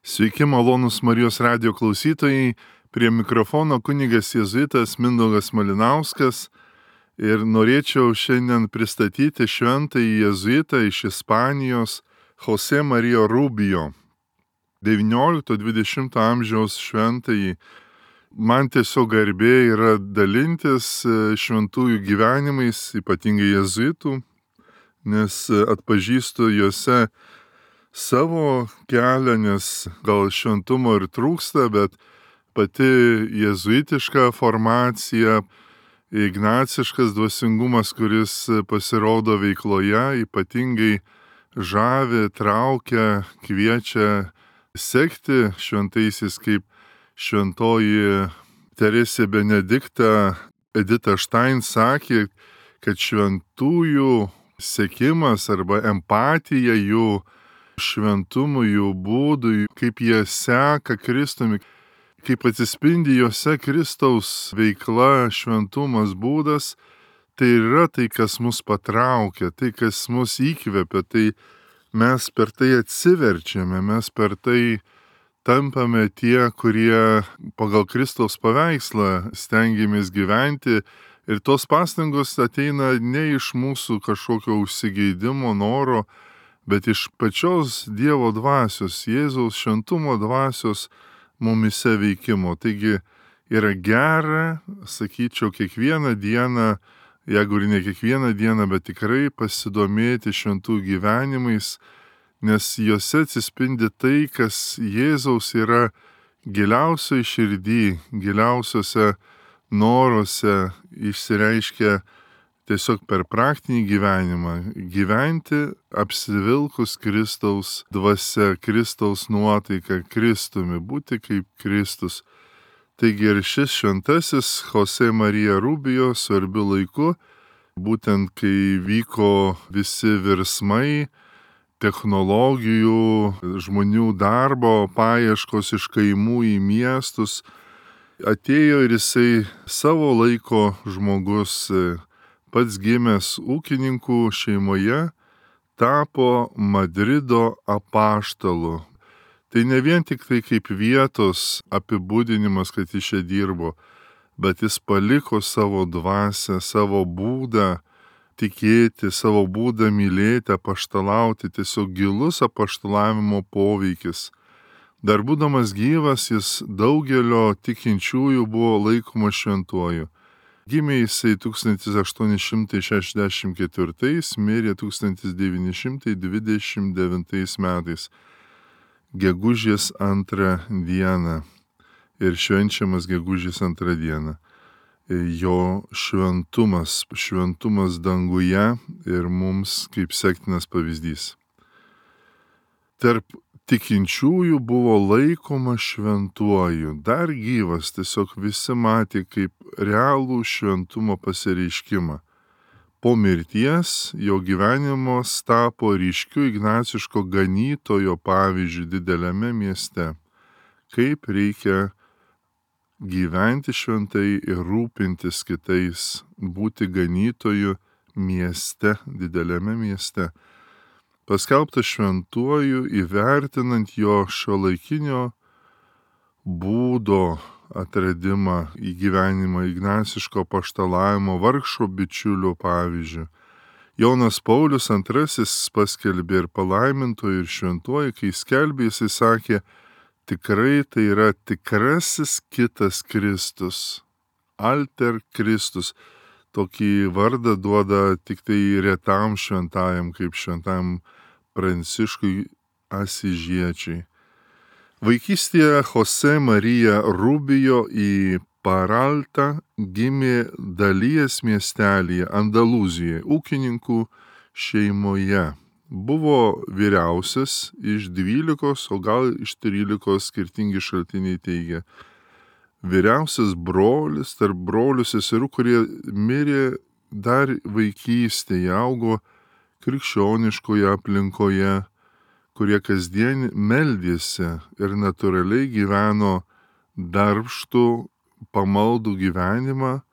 Sveiki, malonūs Marijos radijo klausytojai, prie mikrofono kunigas jėzuitas Mindaugas Malinauskas ir norėčiau šiandien pristatyti šventąjį jėzuitą iš Ispanijos Jose Mario Rubio, 19-20 amžiaus šventąjį. Man tiesiog garbė yra dalintis šventųjų gyvenimais, ypatingai jėzuitų, nes atpažįstu juose savo kelią, nes gal šventumo ir trūksta, bet pati jėzuitiška formacija, ignaciškas dvasingumas, kuris pasirodo veikloje, ypatingai žavi, traukia, kviečia sekti šventaisiais, kaip šventoji Teresė Benedikta Edita Štain sakė, kad šventųjų sekimas arba empatija jų šventumui, jų būdui, kaip jie seka Kristumi, kaip atsispindi juose Kristaus veikla, šventumas, būdas, tai yra tai, kas mus patraukia, tai, kas mus įkvepia, tai mes per tai atsiverčiame, mes per tai tampame tie, kurie pagal Kristaus paveikslą stengiamės gyventi ir tos pastangos ateina ne iš mūsų kažkokio užsigeidimo, noro, bet iš pačios Dievo dvasios, Jėzaus šventumo dvasios mumise veikimo. Taigi yra gera, sakyčiau, kiekvieną dieną, jeigu ir ne kiekvieną dieną, bet tikrai pasidomėti šventų gyvenimais, nes juose atsispindi tai, kas Jėzaus yra giliausioj širdį, giliausiuose noruose išsireiškia tiesiog per praktinį gyvenimą, gyventi apsivilkus Kristaus dvasia, Kristaus nuotaika, Kristumi, būti kaip Kristus. Taigi ir šis šventasis Jose Mario Rubio svarbiu laiku, būtent kai vyko visi virsmai, technologijų, žmonių darbo paieškos iš kaimų į miestus, atėjo ir jisai savo laiko žmogus, pats gimęs ūkininkų šeimoje, tapo Madrido apaštalu. Tai ne vien tik tai kaip vietos apibūdinimas, kad jis čia dirbo, bet jis paliko savo dvasią, savo būdą tikėti, savo būdą mylėti, apaštalauti, tiesiog gilus apaštalavimo poveikis. Dar būdamas gyvas, jis daugelio tikinčiųjų buvo laikomas šventuoju. Gimė jisai 1864, mirė 1929 metais, gegužės 2 dieną ir švenčiamas gegužės 2 dieną. Jo šventumas danguje ir mums kaip sektinas pavyzdys. Tarp tikinčiųjų buvo laikoma šventuoju, dar gyvas, tiesiog visi matė kaip realų šventumo pasireiškimą. Po mirties jo gyvenimas tapo ryškiu ignaciško ganytojo pavyzdžiu dideliame mieste, kaip reikia gyventi šventai ir rūpintis kitais, būti ganytoju mieste, dideliame mieste. Paskelbtas šventuoju, įvertinant jo šiuolaikinio būdo atradimą į gyvenimą, ignaciško apaštalavimo vargšo bičiulio pavyzdžių. Jonas Paulius II paskelbė ir palaimintoju ir šventuoju, kai skelbė, jisai sakė, tikrai tai yra tikrasis kitas Kristus, alter Kristus. Tokį vardą duoda tik tai retam šventajam, kaip šventajam Pranciškui Asižiečiui. Vaikystėje Jose Mario Rubio į Paraltą gimė Dalies miestelyje, Andalūzijoje, ūkininkų šeimoje. Buvo vyriausias iš 12, o gal iš 13 skirtingi šaltiniai teigia. Vyriausias brolis tarp brolių seserų, kurie mirė dar vaikystėje, augo krikščioniškoje aplinkoje, kurie kasdien meldėsi ir natūraliai gyveno darbštų, pamaldų gyvenimą,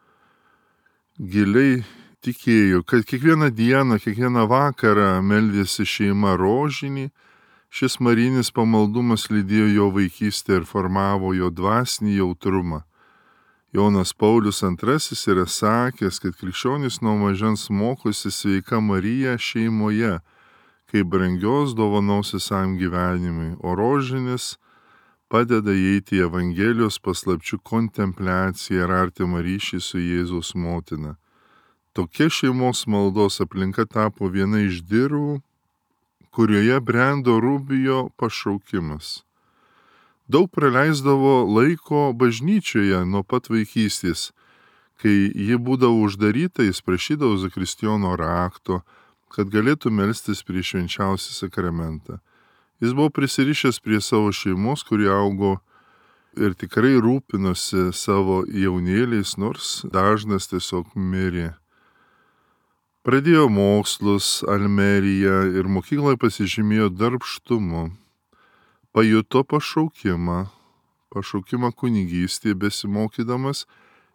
giliai tikėjo, kad kiekvieną dieną, kiekvieną vakarą meldėsi šeima rožinį Šis marinis pamaldumas lydėjo jo vaikystę ir formavo jo dvasinį jautrumą. Jonas Paulius II yra sakęs, kad krikščionys nuo mažens mokosi sveika Marija šeimoje, kaip brangios dovanos visam gyvenimui, o rožinis padeda įeiti į Evangelijos paslapčių kontempliaciją ir artimą ryšį su Jėzaus motina. Tokia šeimos maldos aplinka tapo viena iš dirvų, kurioje brendo Rubijo pašaukimas. Daug praleisdavo laiko bažnyčioje nuo pat vaikystės. Kai ji būdavo uždaryta, jis prašydavo zakristijono rakto, kad galėtų melstis prie švenčiausią sakramentą. Jis buvo prisirišęs prie savo šeimos, kurie augo ir tikrai rūpinosi savo jaunėliais, nors dažnas tiesiog mirė. Pradėjo mokslus Almeryje ir mokykloje pasižymėjo darbštumu. Pajuto pašaukimą kunigystėje besimokydamas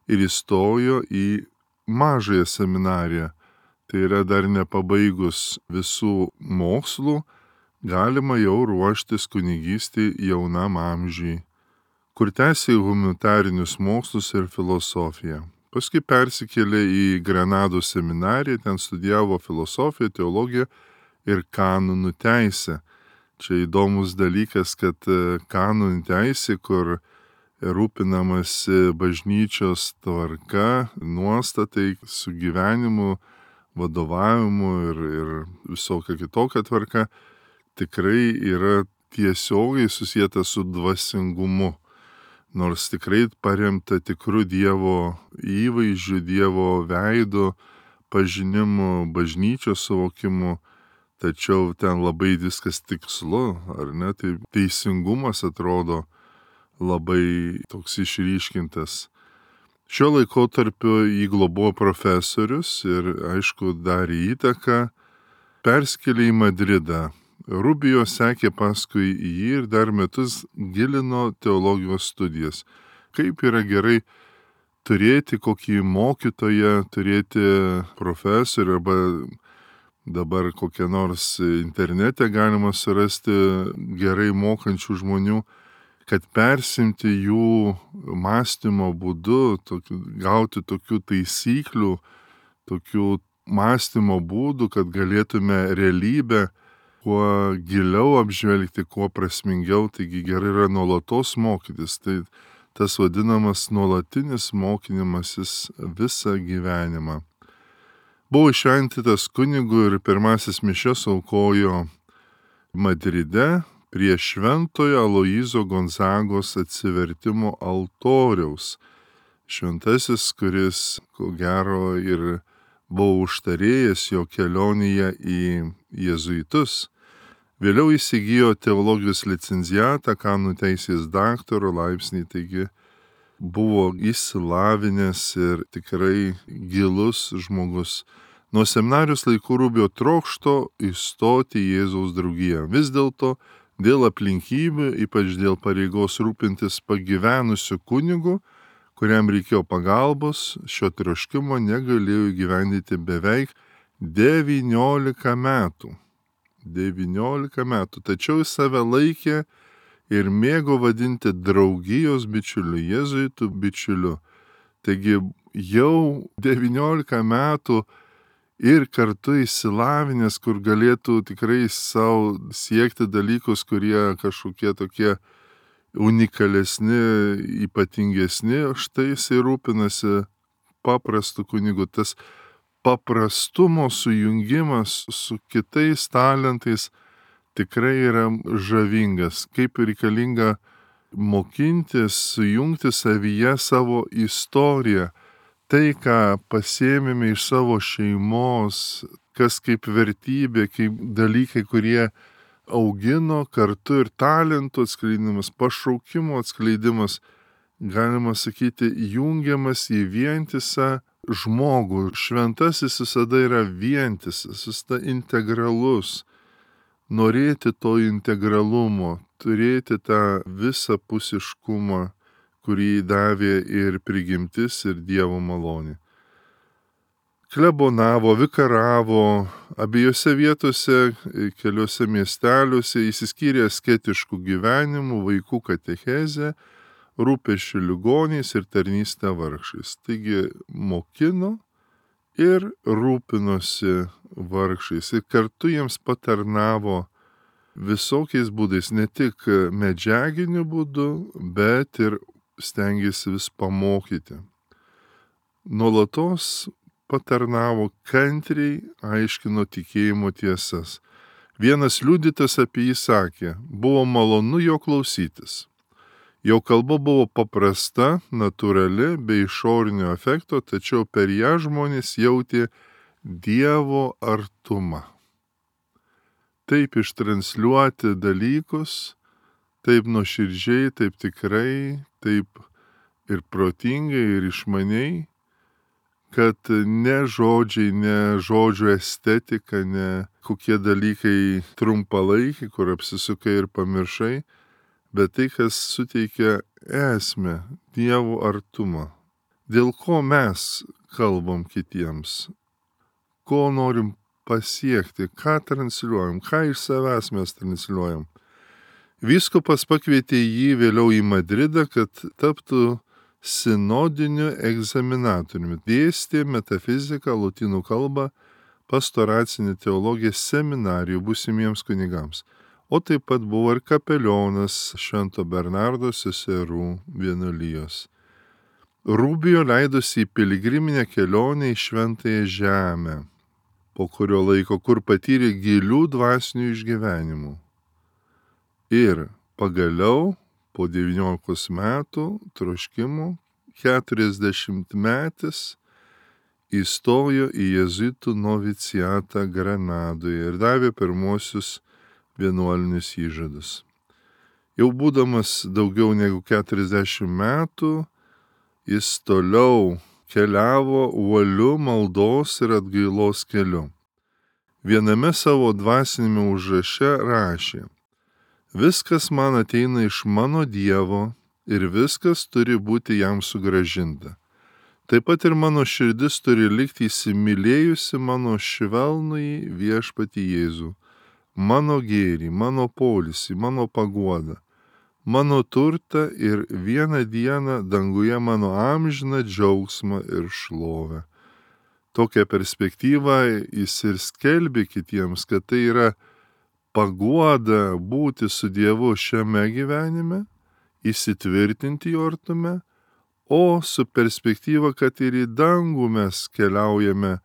ir įstojo į mažąją seminariją. Tai yra dar nepabaigus visų mokslų, galima jau ruoštis kunigystėje jaunam amžiui, kur tęsė humanitarinius mokslus ir filosofiją. Paskui persikėlė į Granados seminariją, ten studijavo filosofiją, teologiją ir kanonų teisę. Čia įdomus dalykas, kad kanonų teisė, kur rūpinamasi bažnyčios tvarka, nuostatai, sugyvenimu, vadovavimu ir visokia kitokia tvarka, tikrai yra tiesiogiai susijęta su dvasingumu. Nors tikrai paremta tikru Dievo įvaizdžiu, Dievo veidu, pažinimu, bažnyčios suvokimu, tačiau ten labai viskas tikslu, ar ne? Tai teisingumas atrodo labai toks išryškintas. Šiuo laikotarpiu jį globojo profesorius ir, aišku, darė įtaką, perskėlė į Madridą. Rubijo sekė paskui jį ir dar metus gilino teologijos studijas. Kaip yra gerai turėti kokį mokytoją, turėti profesorių arba dabar kokią nors internete galima surasti gerai mokančių žmonių, kad persimti jų mąstymo būdu, gauti tokių taisyklių, tokių mąstymo būdų, kad galėtume realybę kuo giliau apžvelgti, kuo prasmingiau, taigi gerai yra nuolatos mokytis. Tai tas vadinamas nuolatinis mokinimasis visą gyvenimą. Buvo įšventytas kunigu ir pirmasis mišias aukojo Madride prie Šventojo Aloyzo Gonzagos atsivertimo altoriaus. Šventasis, kuris, ko gero, ir buvo užtarėjęs jo kelionėje į jėzuitus. Vėliau įsigijo teologijos licenziatą, kanonų teisės daktaro laipsnį, taigi buvo išsilavinęs ir tikrai gilus žmogus. Nuo seminarijos laikų Rubijo trokšto įstoti į Jėzaus draugiją. Vis dėlto dėl aplinkybių, ypač dėl pareigos rūpintis pagyvenusiu kunigu, kuriam reikėjo pagalbos, šio troškimo negalėjo įgyvendyti beveik 19 metų. 19 metų. Tačiau jis save laikė ir mėgo vadinti draugijos bičiuliu, jėzuitų bičiuliu. Taigi jau 19 metų ir kartu išsilavinęs, kur galėtų tikrai savo siekti dalykus, kurie kažkokie tokie unikalesni, ypatingesni, štai jisai rūpinasi paprastu kunigu. Tas paprastumo sujungimas su kitais talentais tikrai yra žavingas, kaip reikalinga mokintis, sujungti savyje savo istoriją, tai, ką pasėmėme iš savo šeimos, kas kaip vertybė, kaip dalykai, kurie augino kartu ir talentų atskleidimas, pašaukimo atskleidimas, galima sakyti, jungiamas į vientisą žmogų. Šventasis visada yra vientisas, visada integralus. Norėti to integralumo, turėti tą visapusiškumą, kurį davė ir prigimtis, ir Dievo malonė. klebonavo, vikaravo abiejose vietose, keliuose miesteliuose, įsiskyrė asketiškų gyvenimų, vaikų katechezę, rūpesčių ligoniais ir tarnystę vargšais. Taigi mokino ir rūpinosi vargšais ir kartu jiems patarnavo visokiais būdais, ne tik medžiaginiu būdu, bet ir stengėsi vis pamokyti. Nuolatos patarnavo, kantriai aiškino tikėjimo tiesas. Vienas liudytas apie jį sakė, buvo malonu jo klausytis. Jo kalba buvo paprasta, natūrali, be išorinio efekto, tačiau per ją žmonės jautė Dievo artumą. Taip ištransliuoti dalykus, taip nuoširdžiai, taip tikrai, taip ir protingai, ir išmaniai, kad ne žodžiai, ne žodžių estetika, ne kokie dalykai trumpalaikiai, kur apsisukai ir pamiršai, bet tai, kas suteikia esmę, Dievo artumą. Dėl ko mes kalbam kitiems, ko norim pasiekti, ką transliuojam, ką iš savęs mes transliuojam. Vyskupas pakvietė jį vėliau į Madridą, kad taptų sinodiniu egzaminatoriumi. Dėstė metafiziką, lotynų kalbą, pastoracinę teologiją seminarijų būsimiems kunigams. O taip pat buvo ir kapelionas Švento Bernardo seserų vienuolijos. Rubijo leidosi į piligriminę kelionę į Šventąją Žemę, po kurio laiko, kur patyrė gilių dvasinių išgyvenimų. Ir pagaliau, po 19 metų troškimų, 40-metis įstojo į jėzuitų noviciatą Granadoje ir davė pirmosius vienuolinius įžadus. Jau būdamas daugiau negu 40 metų, jis toliau keliavo uoliu maldos ir atgailos keliu. Viename savo dvasinėme užraše rašė: viskas man ateina iš mano Dievo ir viskas turi būti jam sugrąžinta. Taip pat ir mano širdis turi likti įsimylėjusi mano švelnųjį viešpatį Jėzų, mano gėrį, mano poilsį, mano paguodą, mano turtą ir vieną dieną danguje mano amžiną džiaugsmą ir šlovę. Tokią perspektyvą jis ir skelbė kitiems, kad tai yra paguoda būti su Dievu šiame gyvenime, įsitvirtinti jo artume, o su perspektyva, kad ir į dangų mes keliaujame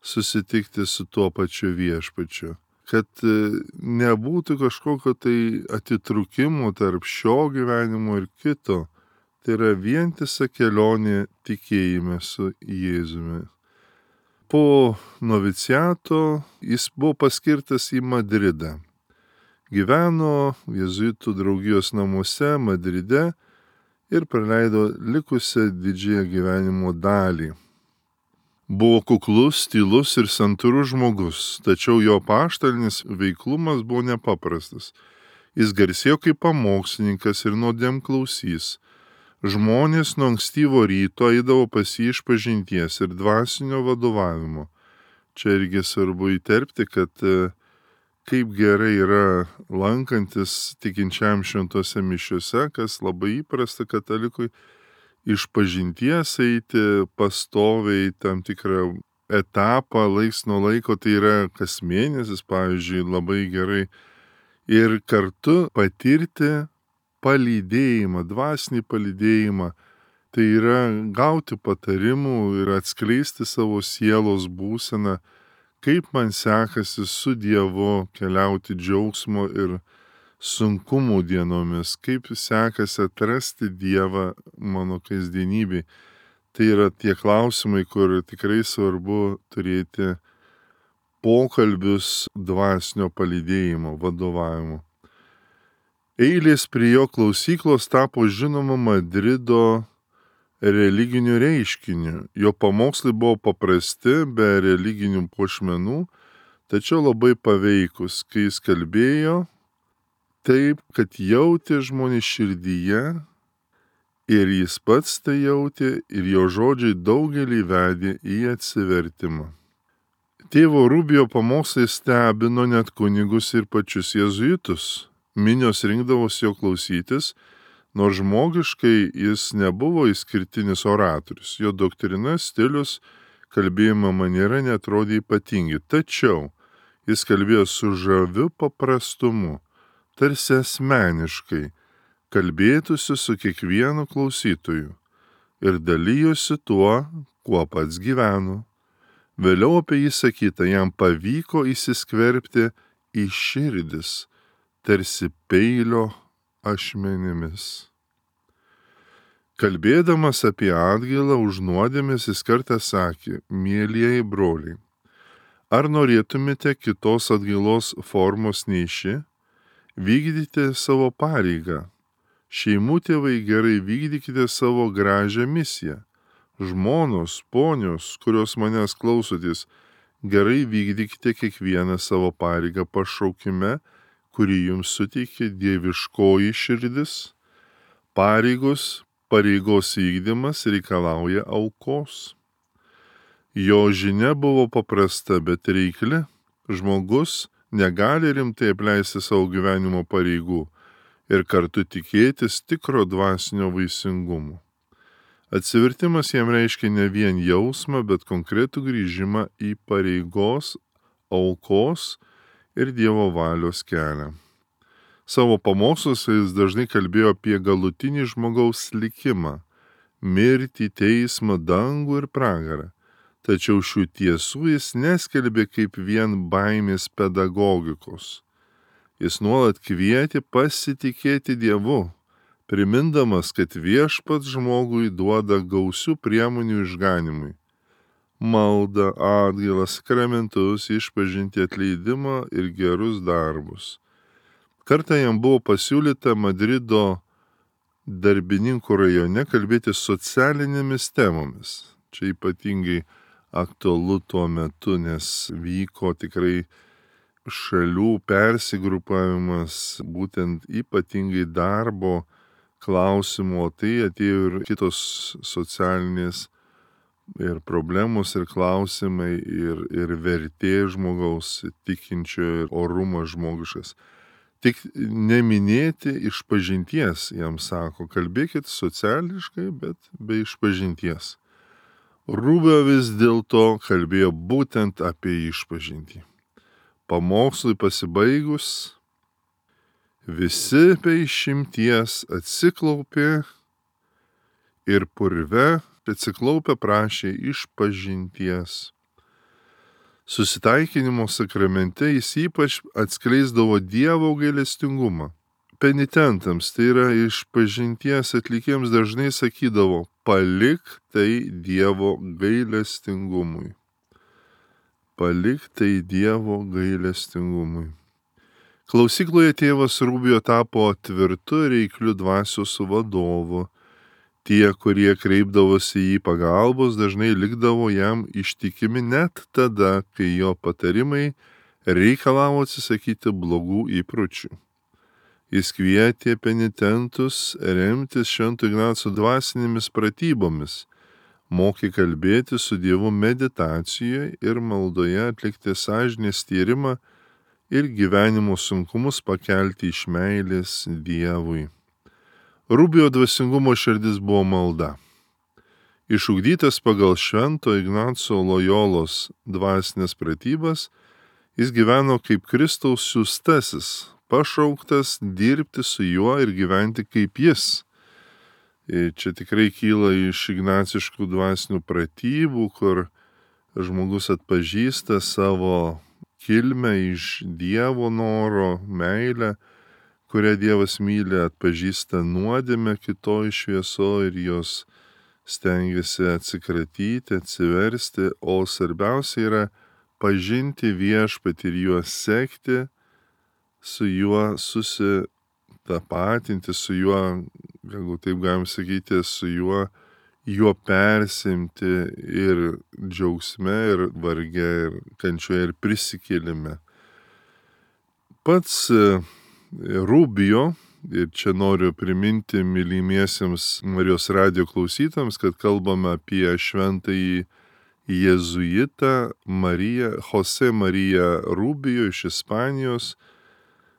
susitikti su tuo pačiu viešpačiu. Kad nebūtų kažkokio tai atitrūkimo tarp šio gyvenimo ir kito. Tai yra vientisa kelionė tikėjime su Jėzumi. Po noviciato jis buvo paskirtas į Madridą. Gyveno jėzuitų draugijos namuose Madride ir praleido likusią didžiąją gyvenimo dalį. Buvo kuklus, tylus ir santūrus žmogus, tačiau jo apaštalinis veiklumas buvo nepaprastas. Jis garsėjo kaip pamokslininkas ir nuodėmklausys. Žmonės nuo ankstyvo ryto eidavo pas jį išpažinties ir dvasinio vadovavimo. Čia irgi svarbu įterpti, kad kaip gerai yra lankantis tikinčiam šventose mišiuose, kas labai įprasta katalikui, išpažinties eiti pastoviai tam tikrą etapą, laiks nuo laiko, tai yra kas mėnesis, pavyzdžiui, labai gerai. Ir kartu patirti palydėjimą, dvasinį palydėjimą, tai yra gauti patarimų ir atskleisti savo sielos būseną, kaip man sekasi su Dievu keliauti džiaugsmo ir sunkumų dienomis, kaip sekasi atrasti Dievą mano kasdienybėj. Tai yra tie klausimai, kur tikrai svarbu turėti pokalbius dvasinio palydėjimo, vadovavimo. Eilės prie jo klausyklos tapo žinoma Madrido religiniu reiškiniu. Jo pamokslai buvo paprasti, be religinių puošmenų, tačiau labai paveikus, kai jis kalbėjo taip, kad jautė žmonės širdyje Ir jis pats tai jautė ir jo žodžiai daugelį vedė į atsivertimą. Tėvo Rubijo pamokslai stebino net kunigus ir pačius jėzuitus. Minios rinkdavosi jo klausytis, nors žmogiškai jis nebuvo išskirtinis oratorius. Jo doktrina, stilius, kalbėjimo maniera netrodė ypatingi. Tačiau jis kalbėjo su žaviu paprastumu, tarsi asmeniškai, kalbėtųsi su kiekvienu klausytoju ir dalyjosi tuo, kuo pats gyveno. Vėliau apie jį sakyta, jam pavyko įsiskverbti į širdis, tarsi peilio ašmenimis. Kalbėdamas apie atgailą už nuodėmes, jis kartą sakė: mielieji broliai, ar norėtumėte kitos atgailos formos nei ši? Vykdykite savo pareigą. Šeimų tėvai, gerai vykdykite savo gražią misiją. Žmonos, ponios, kurios manęs klausotės, gerai vykdykite kiekvieną savo pareigą pašaukime, kurį jums suteikė dieviškoji širdis. Pareigos vykdymas reikalauja aukos. Jo žinia buvo paprasta, bet reikli. Žmogus negali rimtai apleisti savo gyvenimo pareigų ir kartu tikėtis tikro dvasinio vaisingumo. Atsivertimas jam reiškia ne vien jausmą, bet konkretų grįžimą į pareigos, aukos ir Dievo valios kelią. Savo pamoksluose jis dažnai kalbėjo apie galutinį žmogaus likimą - mirtį, teismą, dangų ir pragarą. Tačiau šių tiesų jis neskelbė kaip vien baimės pedagogikos. Jis nuolat kvietė pasitikėti Dievu, primindamas, kad viešpats žmogui duoda gausių priemonių išganimui - maldą, atgailą, sakramentus, išpažintį, atleidimą ir gerus darbus. Kartą jam buvo pasiūlyta Madrido Darbininkų rajone kalbėti socialinėmis temomis. Čia ypatingai aktualu tuo metu, nes vyko tikrai šalių persigrupavimas, būtent ypatingai darbo klausimų, o tai atėjo ir kitos socialinės ir problemos ir klausimai ir vertė žmogaus, tikinčio ir orumas žmogiškas. Tik neminėti išpažinties, jam sako, kalbėkit sociališkai, bet be išpažinties. Rubio vis dėlto kalbėjo būtent apie išpažintį. Pamokslui pasibaigus, visi be išimties atsiklaupė ir purve atsiklaupę prašė išpažinties. Susitaikinimo sakramente jis ypač atskleisdavo Dievo gailestingumą. Penitentams, tai yra išpažinties atlikėjams, dažnai sakydavo: palik tai Dievo gailestingumui. Palik tai Dievo gailestingumui. Klausykloje tėvas Rubijo tapo tvirtu reikliu dvasios vadovu. Tie, kurie kreipdavosi į pagalbos, dažnai likdavo jam ištikimi net tada, kai jo patarimai reikalavo atsisakyti blogų įpročių. Jis kvietė penitentus remtis Švento Ignaco dvasinėmis pratybomis, mokė kalbėti su Dievu meditacijoje ir maldoje, atlikti sąžinės tyrimą ir gyvenimo sunkumus pakelti iš meilės Dievui. Rubijo dvasingumo širdis buvo malda. Išugdytas pagal Švento Ignaco Lojolos dvasinės pratybas, jis gyveno kaip Kristaus siųstasis, pašauktas dirbti su juo ir gyventi kaip jis. Ir čia tikrai kyla iš ignaciškų dvasinių pratybų, kur žmogus atpažįsta savo kilmę iš Dievo noro, meilę, kurią Dievas myli, atpažįsta nuodėmę kitoj šviesoje ir jos stengiasi atsikratyti, atsiversti, o svarbiausia yra pažinti viešpatį ir juo sekti, su juo susitapatinti, su juo, galbūt taip galim sakyti, su juo persimti ir džiaugsme, ir varge, ir kančioje, ir prisikėlime. Pats Rubijo Ir čia noriu priminti mylimiesiems Marijos radijo klausytams, kad kalbame apie šventąjį jėzuitą Jose Mariją Rubio iš Ispanijos,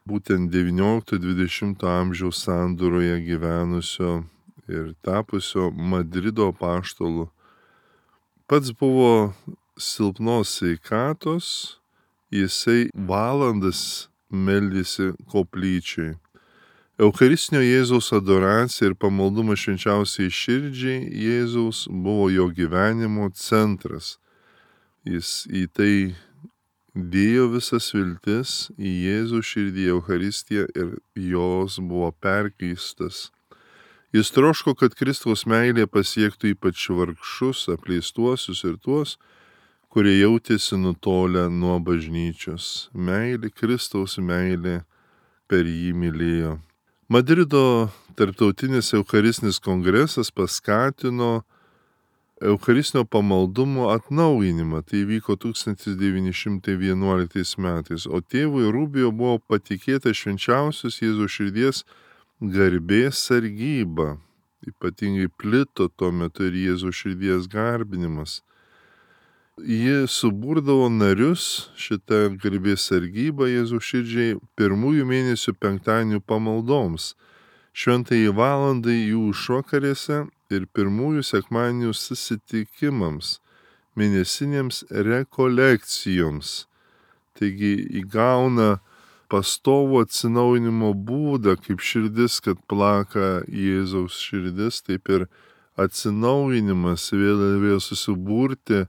būtent 19-20 amžiaus sandūroje gyvenusio ir tapusio Madrido apaštalu. Pats buvo silpnos sveikatos, jisai valandas meldėsi koplyčiai. Eucharistinio Jėzaus adoracija ir pamaldumas švenčiausiai širdžiai Jėzaus buvo jo gyvenimo centras. Jis į tai dėjo visas viltis į Jėzų širdį, Eucharistiją ir jos buvo perkeistas. Jis troško, kad Kristaus meilė pasiektų ypač vargšus, apleistuosius ir tuos, kurie jautėsi nutolę nuo bažnyčios. Meilė, Kristaus meilė per jį mylėjo. Madrido tarptautinis Eucharistinis kongresas paskatino Eucharistinio pamaldumo atnaujinimą. Tai vyko 1911 metais, o tėvui Rubio buvo patikėta švenčiausios Jėzaus širdies garbės sargyba. Ypatingai plito tuo metu ir Jėzaus širdies garbinimas. Ji suburdavo narius šitą garbės sargybą Jėzaus širdžiai pirmųjų mėnesių penktadienių pamaldoms, šventajai valandai jų išvakarėse ir pirmųjų sekmadienių susitikimams, mėnesinėms rekolekcijoms. Taigi įgauna pastovų atsinaujinimo būdą, kaip širdis, kad plaka Jėzaus širdis, taip ir atsinaujinimas vėl susiburti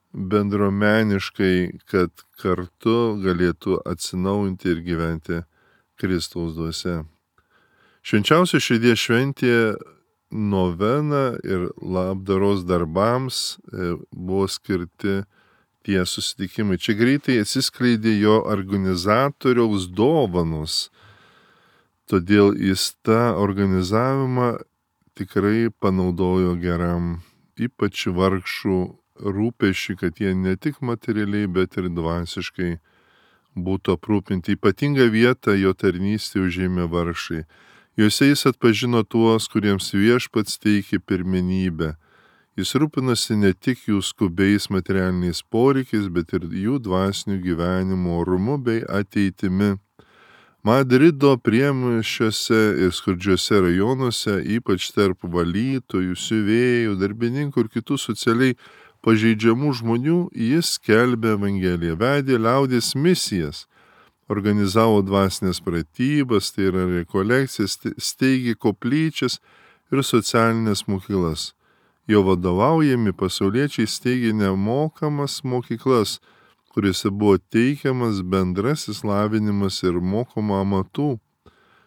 bendruomeniškai, kad kartu galėtų atsinaujinti ir gyventi Kristaus dvasia. Švenčiausio širdies šventė novena ir labdaros darbams buvo skirti tie susitikimai. Čia greitai atsiskleidė jo organizatoriaus dovanos, todėl jis tą organizavimą tikrai panaudojo geram, ypač vargšų rūpesčiui, kad jie ne tik materialiai, bet ir dvasiškai būtų aprūpinti. Ypatingą vietą jo tarnystė užėmė vargšai. Juose jis atpažino tuos, kuriems viešpats teikė pirmenybę. Jis rūpinasi ne tik jų skubiais materialiniais poreikiais, bet ir jų dvasinių gyvenimo orumu bei ateitimi. Madrido priemiesčiuose ir skurdžiuose rajonuose, ypač tarp valytojų, siuvėjų, darbininkų ir kitų socialiai pažeidžiamų žmonių, jis skelbė Evangeliją, vedė liaudies misijas, organizavo dvasinės pratybas, tai yra rekolekcijas, steigė koplyčias ir socialinės mokyklas. Jo vadovaujami pasauliečiai steigė nemokamas mokyklas, kuriuose buvo teikiamas bendrasis lavinimas ir mokoma amatų.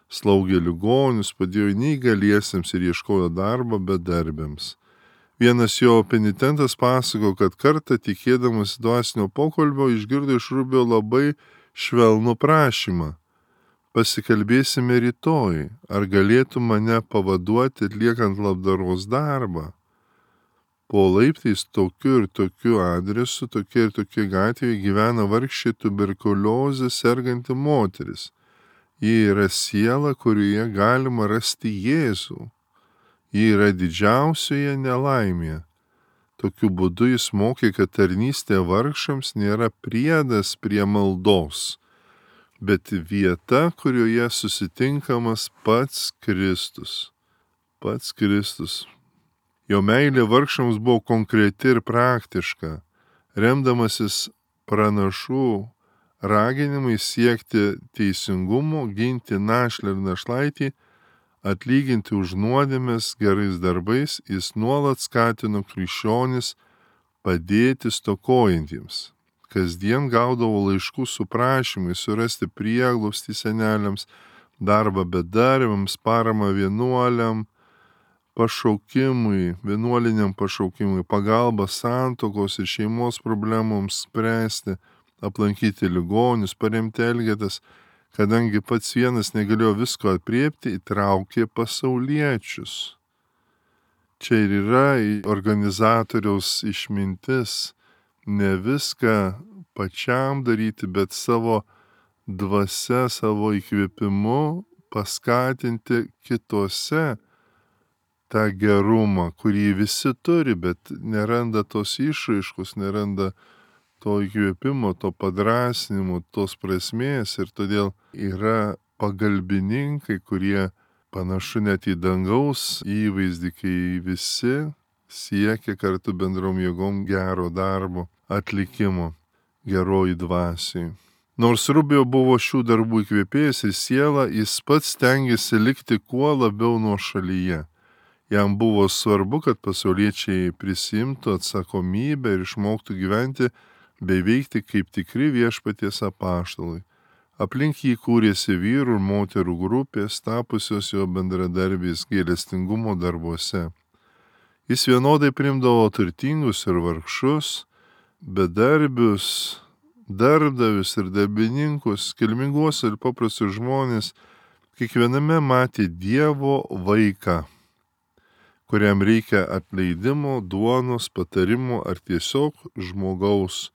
Slaugė ligonius, padėjo neįgaliesiems ir ieškojo darbo bedarbiams. Vienas jo penitentas pasako, kad kartą tikėdamas dvasinio pokalbio išgirdo iš Rubio labai švelnų prašymą. Pasikalbėsime rytoj, ar galėtų mane pavaduoti atliekant labdaros darbą. Po laiptais tokiu ir tokiu adresu, tokia ir tokia gatvėje gyvena vargšė tuberkuliozė serganti moteris. Ji yra siela, kurioje galima rasti Jėzų. Ji yra didžiausioje nelaimėje. Tokiu būdu jis mokė, kad tarnystė vargšams nėra priedas prie maldos, bet vieta, kurioje susitinkamas pats Kristus. Pats Kristus. Jo meilė vargšams buvo konkreti ir praktiška, remdamasis pranašų raginimai siekti teisingumo, ginti našlę ir našlaitį, atlyginti už nuodėmes gerais darbais, jis nuolat skatino krikščionis padėti stokojantiems. Kasdien gaudavo laiškų su prašymais surasti prieglobstį seneliams, darbą bedarbiams, paramą vienuoliam, pašaukimui, vienuoliniam pašaukimui, pagalbą santuokos ir šeimos problemoms spręsti, aplankyti ligonius, paremti elgetas. Kadangi pats vienas negalėjo visko apriepti, įtraukė pasauliečius. Čia ir yra organizatoriaus išmintis, ne viską pačiam daryti, bet savo dvasia, savo įkvėpimu paskatinti kitose tą gerumą, kurį visi turi, bet neranda tos išraiškos, neranda to įkvėpimo, to padrasnimo, tos prasmės ir todėl yra pagalbininkai, kurie panašu net į dangaus įvaizdį, kai visi siekia kartu bendrom jėgom gero darbo atlikimo geroji dvasiai. Nors Rubio buvo šių darbų įkvėpėjas ir siela, jis pats stengiasi likti kuo labiau nuošalyje. Jam buvo svarbu, kad pasauliečiai prisimtų atsakomybę ir išmoktų gyventi bei veikti kaip tikri viešpaties apaštalai. Aplink jį kūrėsi vyrų ir moterų grupės, tapusios jo bendradarbiais gailestingumo darbuose. Jis vienodai priimdavo turtingus ir vargšus, bedarbius, darbdavius ir darbininkus, kilminguos ir paprastus žmonės, kiekviename matė Dievo vaiką, kuriam reikia atleidimo, duonos, patarimo ar tiesiog žmogaus,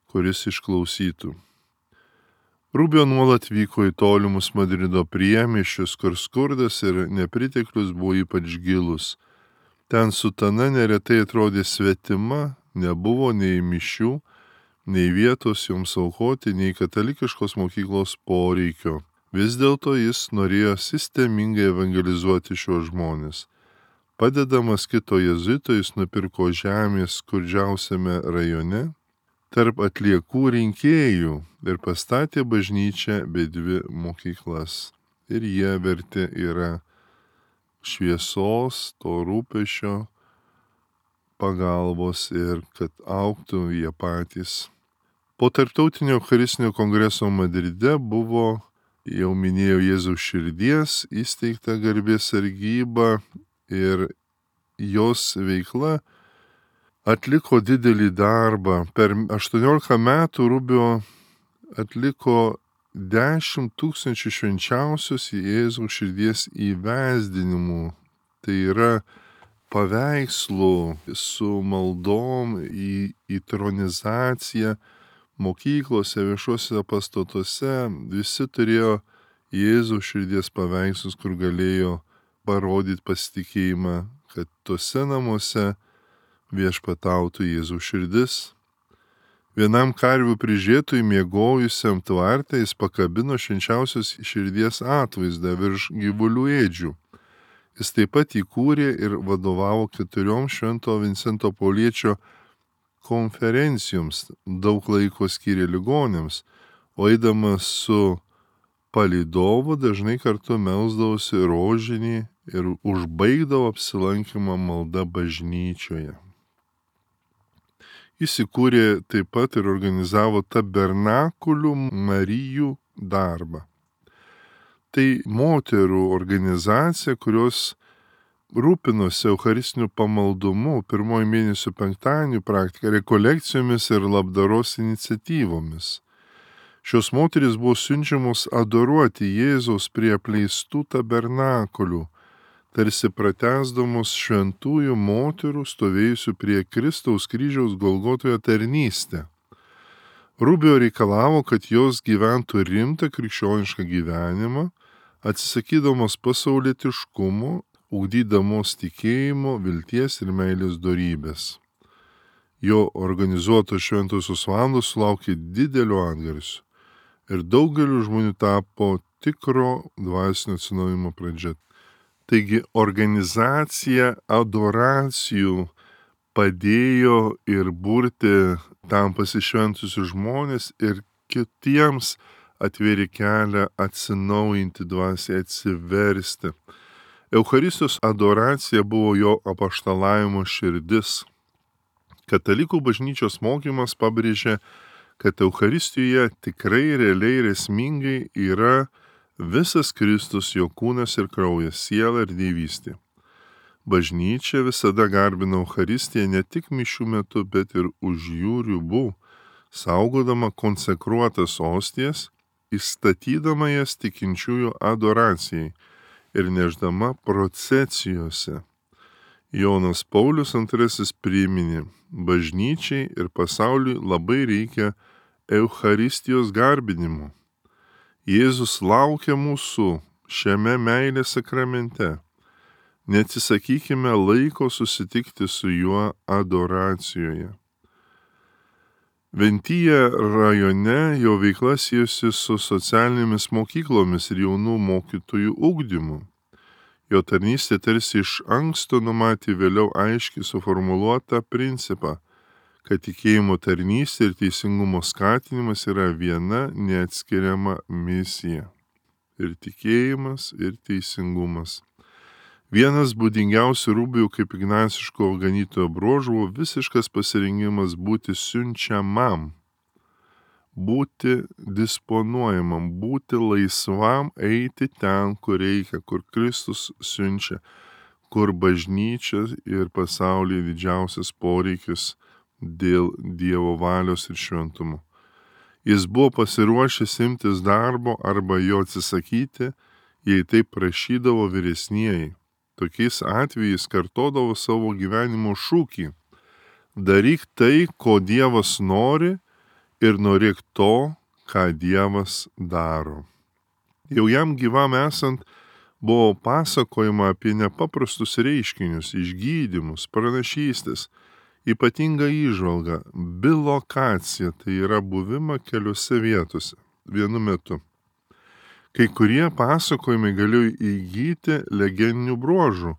kuris išklausytų. Rubio nuolat vyko į tolimus Madrido priemiesčius, kur skurdas ir nepriteklius buvo ypač gilus. Ten sutana neretai atrodė svetima, nebuvo nei mišių, nei vietos joms aukoti, nei katalikiškos mokyklos poreikio. Vis dėlto jis norėjo sistemingai evangelizuoti šiuos žmonės. Padedamas kito jėzuito, jis nupirko žemės skurdžiausiame rajone tarp atliekų rinkėjų ir pastatė bažnyčią bei 2 mokyklas. Ir jie verti yra šviesos, to rūpesčio, pagalbos ir kad augtų jie patys. Po tarptautinio Eucharistinio kongreso Madride buvo, jau minėjau, Jėzaus širdies įsteigta garbės sargyba ir jos veikla atliko didelį darbą. Per 18 metų Rubio atliko 10 000 švenčiausios Jėzaus širdies įvesdinimų. Tai yra paveikslų su maldom į tronizaciją mokyklose, viešuose pastatuose. Visi turėjo Jėzaus širdies paveikslus, kur galėjo parodyti pasitikėjimą, kad tose namuose viešpatautų Jėzaus širdis. Vienam karvių prižiūrėtojui miegojusiam tvarte jis pakabino švenčiausios širdies atvaizdą virš gyvulių ėdžių. Jis taip pat įkūrė ir vadovavo 4 Švento Vincento Pauliečio konferencijoms, daug laiko skyrė ligoniams, o eidamas su palydovu dažnai kartu melsdavosi rožinį ir užbaigdavo apsilankymą malda bažnyčioje. Jis įkūrė taip pat ir organizavo tabernakulių Marijų darbą. Tai moterų organizacija, kurios rūpinosi eucharistiniu pamaldumu, 1 mėnesio penktadienių praktika, rekolekcijomis ir labdaros iniciatyvomis. Šios moterys buvo siunčiamos adoruoti Jėzaus prie apleistų tabernakulių, tarsi pratęsdamos šventųjų moterų stovėjusių prie Kristaus kryžiaus Golgotoje tarnystę. Rubio reikalavo, kad jos gyventų rimtą krikščionišką gyvenimą, atsisakydamos pasaulietiškumo, ugdydamos tikėjimo, vilties ir meilės dorybės. Jo organizuotos šventosios valandos sulaukė didelio atgarsio ir daugeliu žmonių tapo tikro dvasinio atsinaujinimo pradžia. Taigi organizacija adoracijų padėjo ir burti tam pasišventusius žmonės ir kitiems atvėrė kelią atsinaujinti dvasiai, atsiversti. Eucharistijos adoracija buvo jo apaštalavimo širdis. Katalikų bažnyčios mokymas pabrėžė, kad Eucharistijoje tikrai realiai ir esmingai yra visas Kristus, jo kūnas ir kraujas, siela ir dievystė. Bažnyčia visada garbina Eucharistiją ne tik mišių metu, bet ir už jų ribų, saugodama konsekruotas ostijas, įstatydama jas tikinčiųjų adoracijai ir neždama procesijose. Jonas Paulius II priminė, bažnyčiai ir pasauliui labai reikia Eucharistijos garbinimo. Jėzus laukia mūsų šiame meilės sakramente. Neatsisakykime laiko susitikti su juo adoracijoje. Ventyje rajone jo veikla siejosi su socialinėmis mokyklomis ir jaunų mokytojų ugdymu. Jo tarnystė tarsi iš anksto numatė vėliau aiškiai suformuluotą principą, kad tikėjimo tarnystė ir teisingumo skatinimas yra viena neatskiriama misija. Ir tikėjimas, ir teisingumas. Vienas būdingiausių Rubio kaip ignaciško ganytojo bruožų buvo visiškas pasirengimas būti siunčiamam, būti disponuojamam, būti laisvam eiti ten, kur reikia, kur Kristus siunčia, kur bažnyčia ir pasaulyje didžiausias poreikis dėl Dievo valios ir šventumo. Jis buvo pasiruošęs imtis darbo arba jo atsisakyti, jei taip prašydavo vyresnieji. Tokiais atvejais kartodavo savo gyvenimo šūkį: daryk tai, ko Dievas nori, ir norėk to, ką Dievas daro. Jau jam gyvam esant buvo pasakojama apie nepaprastus reiškinius, išgydymus, pranašystės, ypatingą įžvalgą, bilokaciją, tai yra buvimą keliose vietose vienu metu. Kai kurie pasakojimai galėjo įgyti legendinių bruožų,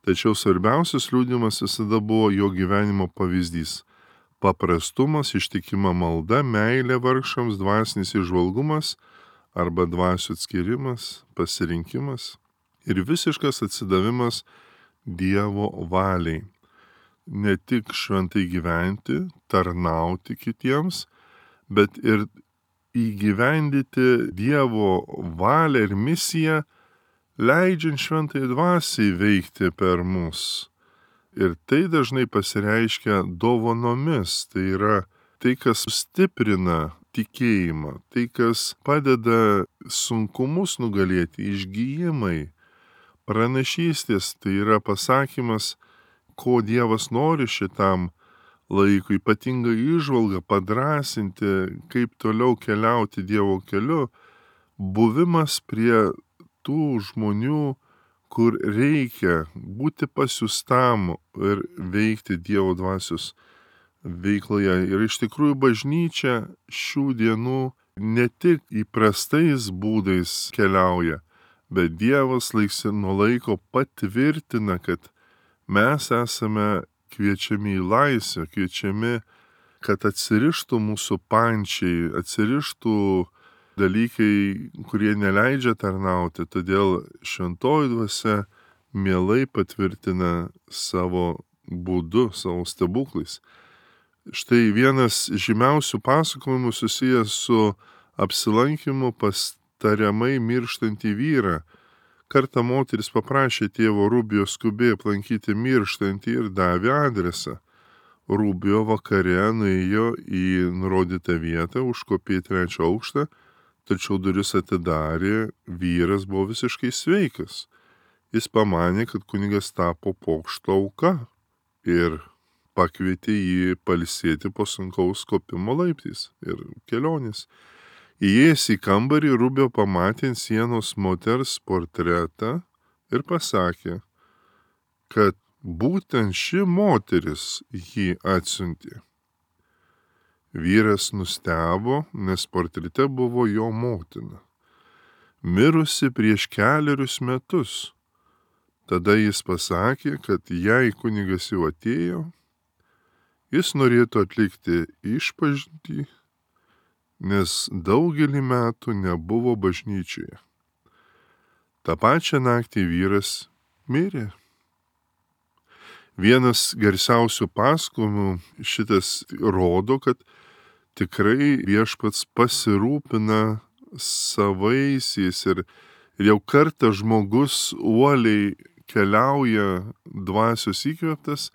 tačiau svarbiausias liudijimas visada buvo jo gyvenimo pavyzdys. Paprastumas, ištikima malda, meilė vargšams, dvasinis įžvalgumas arba dvasių atskirimas, pasirinkimas ir visiškas atsidavimas Dievo valiai. Ne tik šventai gyventi, tarnauti kitiems, bet ir įgyvendyti Dievo valią ir misiją, leidžiant šventai dvasiai veikti per mus. Ir tai dažnai pasireiškia dovanomis, tai yra tai, kas stiprina tikėjimą, tai, kas padeda sunkumus nugalėti, išgyjimai, pranašystės, tai yra pasakymas, ko Dievas nori šitam laikui, ypatingą įžvalgą, padrasinti, kaip toliau keliauti Dievo keliu, buvimas prie tų žmonių, kur reikia būti pasiustam ir veikti Dievo dvasios veikloje. Ir iš tikrųjų bažnyčia šių dienų ne tik įprastais būdais keliauja, bet Dievas laiks nuo laiko patvirtina, kad mes esame kviečiami į laisvę, kviečiami, kad atsirištų mūsų pančiai, atsirištų dalykai, kurie neleidžia tarnauti. Todėl šventoji dvasia mielai patvirtina savo būdu, savo stebuklais. Štai vienas žymiausių pasakojimų susijęs su apsilankimu pas tariamai mirštantį vyrą. Kartą moteris paprašė tėvo Rubio skubiai aplankyti mirštantį ir davė adresą. Rubio vakare nuėjo į nurodytą vietą, užkopė į 3 aukštą, tačiau duris atidarė, vyras buvo visiškai sveikas. Jis pamanė, kad kunigas tapo pokšto auka ir pakvietė jį pailsėti po sunkaus kopimo laiptais ir kelionės. Įėjęs į kambarį, Rubio pamatė ant sienos moters portretą ir pasakė, kad būtent ši moteris jį atsiuntė. Vyras nustebo, nes portrete buvo jo motina, mirusi prieš 4 metus. Tada jis pasakė, kad jei kunigas jau atėjo, jis norėtų atlikti išpažintį, nes daugelį metų nebuvo bažnyčioje. Ta pačią naktį vyras mirė. Vienas garsiausių pasakojimų šitas rodo, kad tikrai viešpats pasirūpina savaisiais ir jau kartą žmogus uoliai keliauja dvasios įkvėptas,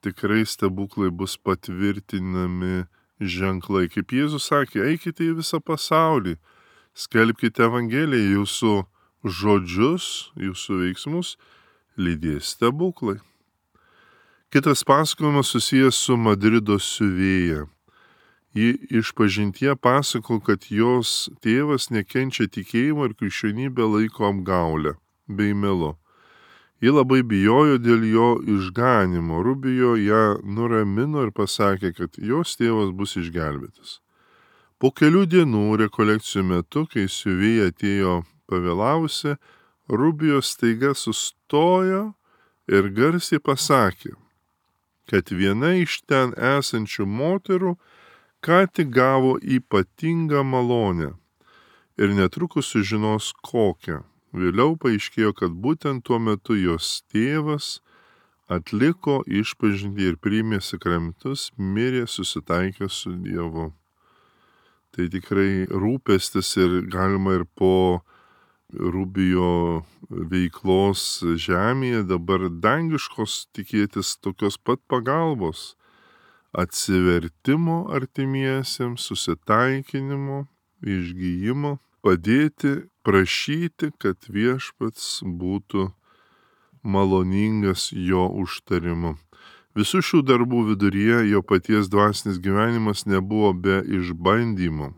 tikrai stebuklai bus patvirtinami ženklai. Kaip Jėzus sakė, eikite į visą pasaulį, skelbkite Evangeliją, jūsų žodžius, jūsų veiksmus lydės stebuklai. Kitas pasakojimas susijęs su Madrido siuvėja. Ji išpažintie pasako, kad jos tėvas nekenčia tikėjimo ir krikščionybę laiko apgaulę bei melu. Ji labai bijojo dėl jo išganimo. Rubijo ją nuramino ir pasakė, kad jos tėvas bus išgelbėtas. Po kelių dienų rekolekcijų metu, kai siuvėja atėjo pavėlavusi, Rubijo staiga sustojo ir garsiai pasakė, kad viena iš ten esančių moterų ką tik gavo ypatingą malonę ir netrukus sužinos kokią. Vėliau paaiškėjo, kad būtent tuo metu jos tėvas atliko išpažintį ir priėmė sakramentus, mirė susitaikęs su Dievu. Tai tikrai rūpestis ir galima ir po Rubijo veiklos žemėje dabar dangiškos tikėtis tokios pat pagalbos. Atsivertimo artimiesiems, susitaikinimo, išgyjimo, padėti, prašyti, kad viešpats būtų maloningas jo užtarimu. Visų šių darbų viduryje jo paties dvasinis gyvenimas nebuvo be išbandymų.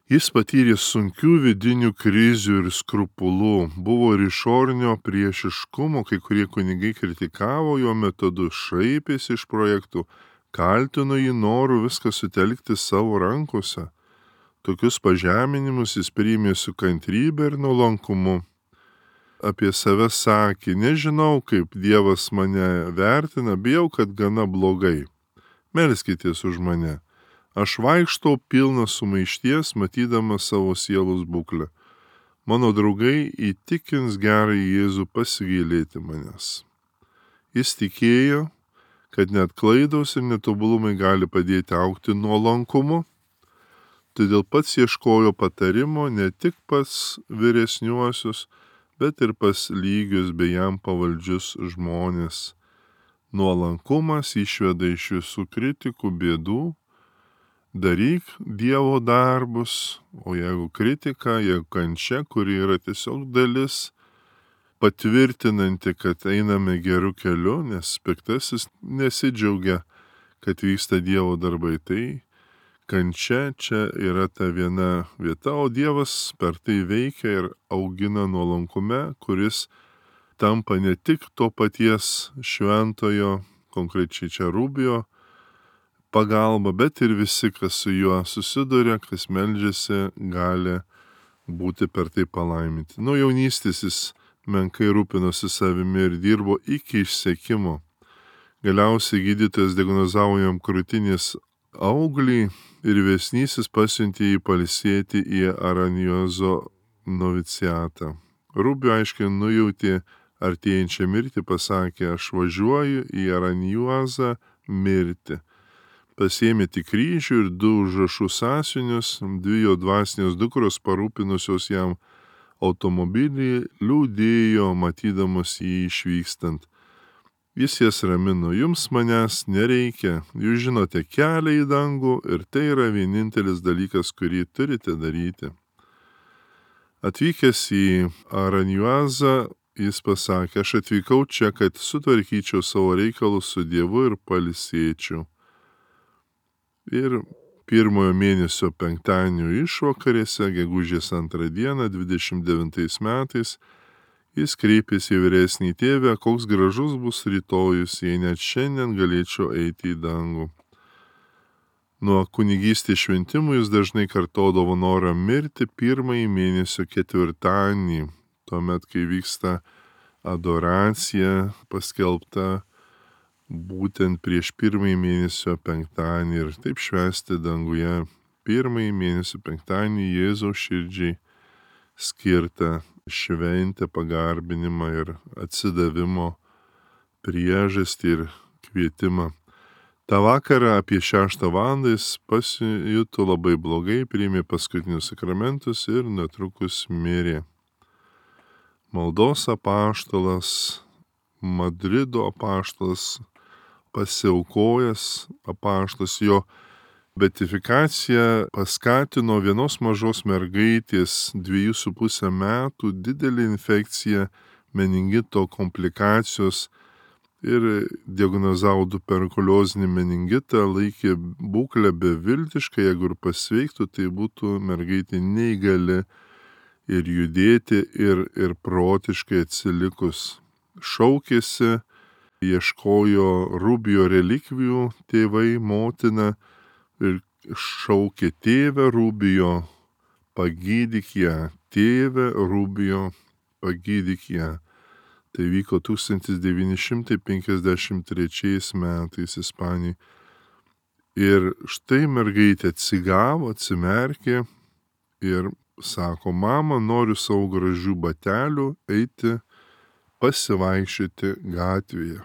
Jis patyrė sunkių vidinių krizių ir skrupulų, buvo ir išorinio priešiškumo, kai kurie kunigai kritikavo jo metodus, šaipėsi iš projektų, kaltino jį noru viską sutelkti savo rankose. Tokius pažeminimus jis priėmė su kantrybė ir nuolankumu. Apie save sakė, nežinau, kaip Dievas mane vertina, bijau, kad gana blogai. Melskitės už mane. Aš vaikštau pilnas sumaišties, matydamas savo sielos būklę. Mano draugai įtikins gerąjį Jėzų pasigailėti manęs. Jis tikėjo, kad net klaidos ir netobulumai gali padėti augti nuolankumu, todėl pats ieškojo patarimo ne tik pas vyresniuosius, bet ir pas lygius bei jam pavaldžius žmonės. Nuolankumas išveda iš visų kritikų bėdų. Daryk Dievo darbus, o jeigu kritika, jeigu kančia, kuri yra tiesiog dalis patvirtinanti, kad einame geru keliu, nes piktasis nesidžiaugia, kad vyksta Dievo darbai. Tai kančia čia yra ta viena vieta, o Dievas per tai veikia ir augina nuolankume, kuris tampa ne tik to paties šventojo, konkrečiai čia Rubijo, pagalba, bet ir visi, kas su juo susiduria, kas meldžiasi, gali būti per tai palaiminti. Nuo jaunystės jis menkai rūpinosi savimi ir dirbo iki išsekimo. Galiausiai gydytojas diagnozavo jam krūtinės auglį ir vyresnysis pasiuntė jį pailsėti į Aranjuozo noviciatą. Rubio aiškiai nujautė artėjančią mirtį, pasakė, aš važiuoju į Aranjuozą mirti. Pasiėmė tik kryžių ir 2 užrašų sąsiuvinius, 2 jo dvasinės dukros parūpinusios jam automobilį, liūdėjo, matydamas jį išvykstant. Jis jas ramino, jums manęs nereikia, jūs žinote kelią į dangų ir tai yra vienintelis dalykas, kurį turite daryti. Atvykęs į Aranjuozą, jis pasakė, aš atvykau čia, kad sutvarkyčiau savo reikalus su Dievu ir pailsėčiau. Ir pirmojo mėnesio penktadienio išvakarėse, gegužės 2 dieną, 29 metais, jis kreipėsi į vyresnį tėvę, koks gražus bus rytojus, jei net šiandien galėčiau eiti į dangų. Nuo kunigystės šventimų jis dažnai kartodavo norą mirti pirmąjį mėnesio ketvirtadienį, tuomet, kai vyksta adoracija paskelbta būtent prieš pirmąjį mėnesio penktadienį ir taip švęsti danguje pirmąjį mėnesio penktadienį Jėzaus širdžiai skirtą šventę, pagarbinimą ir atsidavimo priežastį ir kvietimą. Ta vakarą apie 6 valandą jis pasijuto labai blogai, priėmė paskutinius sakramentus ir netrukus mirė. Maldos apaštalas, Madrido apaštalas, pasiaukojęs apaštalas, jo beatifikacija paskatino vienos mažos mergaitės 2,5 metų didelį infekciją, meningito komplikacijos ir diagnozavo tuberkuliozinį meningitą, laikė būklę beviltišką, jeigu ir pasveiktų, tai būtų mergaitė neįgali ir judėti, ir protiškai atsilikus. Šaukėsi, ieškojo Rubio relikvijų tėvai, motina ir šaukė: tėve Rubio, pagydyk ją, tėve Rubio, pagydyk ją. Tai vyko 1953 metais Ispanijai. Ir štai mergaitė atsigavo, atsimerkė ir sako: mama, noriu savo gražių batelių eiti pasivaikščioti gatvėje.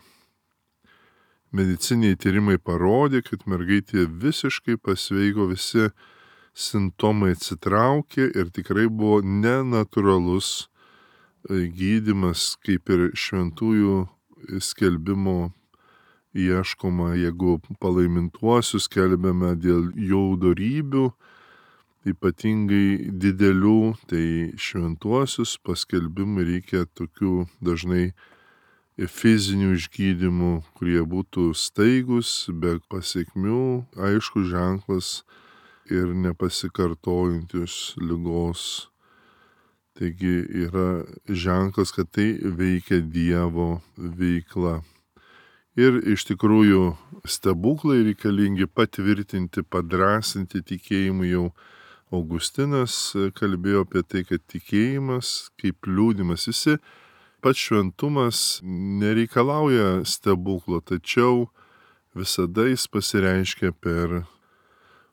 Mediciniai tyrimai parodė, kad mergaitė visiškai pasveiko, visi simptomai atsitraukė ir tikrai buvo nenatūralus gydymas, kaip ir šventųjų skelbimo ieškoma, jeigu palaimintuosius skelbiame dėl jų dorybių, ypatingai didelių, tai šventuosius paskelbimui reikia tokių dažnai fizinių išgydymų, kurie būtų staigus, be pasiekmių, aišku ženklas ir nepasikartojantis ligos. Taigi yra ženklas, kad tai veikia Dievo veikla. Ir iš tikrųjų stebuklai reikalingi patvirtinti, padrasinti tikėjimu. Jau Augustinas kalbėjo apie tai, kad tikėjimas kaip liūdimas. Visi pats šventumas nereikalauja stebuklo, tačiau visada jis pasireiškia per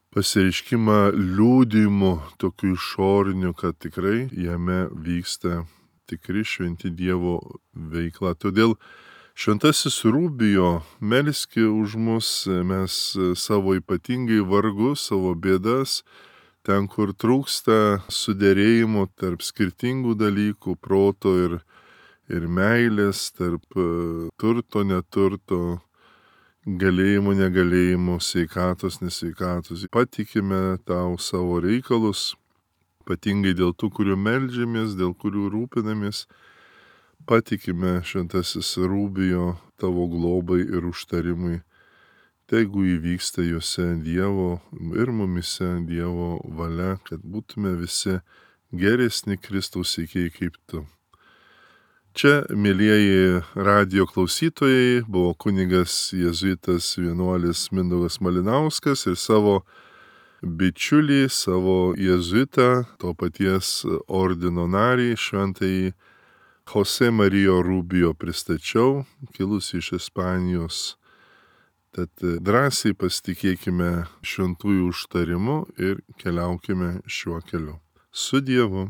pasireiškimą liūdimu, tokiu išoriniu, kad tikrai jame vyksta tikri šventi Dievo veikla. Todėl šventasis Rubijo, melski už mus, mes savo ypatingai vargus, savo bėdas, ten, kur trūksta suderėjimo tarp skirtingų dalykų, proto ir meilės, tarp turto, neturto, galėjimo, negalėjimo, sveikatos, nesveikatos. Patikime tau savo reikalus, ypatingai dėl tų, kurių meldžiamės, dėl kurių rūpinamės. Patikime šventasis Rubijo tavo globai ir užtarimui. Tegu įvyksta juose Dievo ir mumise Dievo valia, kad būtume visi geresni Kristaus sekėjai kaip tu. Čia, mielieji radijo klausytojai, buvo kunigas jėzuitas vienuolis Mindaugas Malinauskas ir savo bičiulį, savo jėzuitą, to paties ordino narį, šventąjį Jose Marijo Rubijo pristačiau, kilus iš Ispanijos. Tad drąsiai pasitikėkime šventųjų užtarimu ir keliaukime šiuo keliu. Su Dievu.